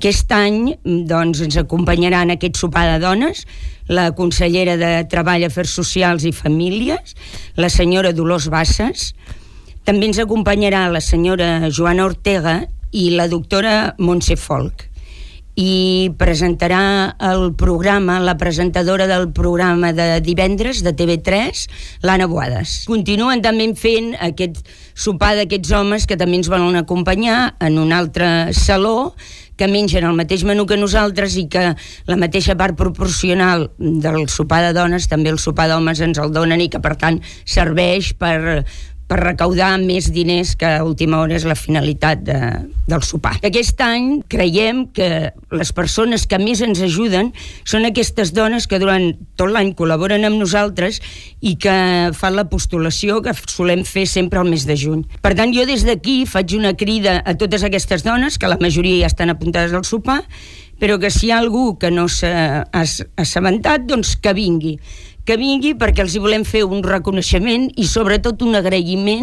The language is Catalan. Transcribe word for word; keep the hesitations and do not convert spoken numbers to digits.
Aquest any doncs, ens acompanyarà en aquest sopar de dones la consellera de Treball, Afers Socials i Famílies, la senyora Dolors Bassas. També ens acompanyarà la senyora Joana Ortega i la doctora Montse Folk. I presentarà el programa, la presentadora del programa de divendres de T V tres, l'Anna Boades. Continuen també fent aquest sopar d'aquests homes que també ens volen acompanyar en un altre saló, que mengen el mateix menú que nosaltres i que la mateixa part proporcional del sopar de dones també el sopar d'homes ens el donen i que per tant serveix per... per recaudar més diners, que a última hora és la finalitat de, del sopar. Aquest any creiem que les persones que més ens ajuden són aquestes dones que durant tot l'any col·laboren amb nosaltres i que fan la postulació que solem fer sempre al mes de juny. Per tant, jo des d'aquí faig una crida a totes aquestes dones, que la majoria ja estan apuntades al sopar, però que si hi ha algú que no s'ha assabentat, doncs que vingui. que vingui perquè els hi volem fer un reconeixement i sobretot un agraïment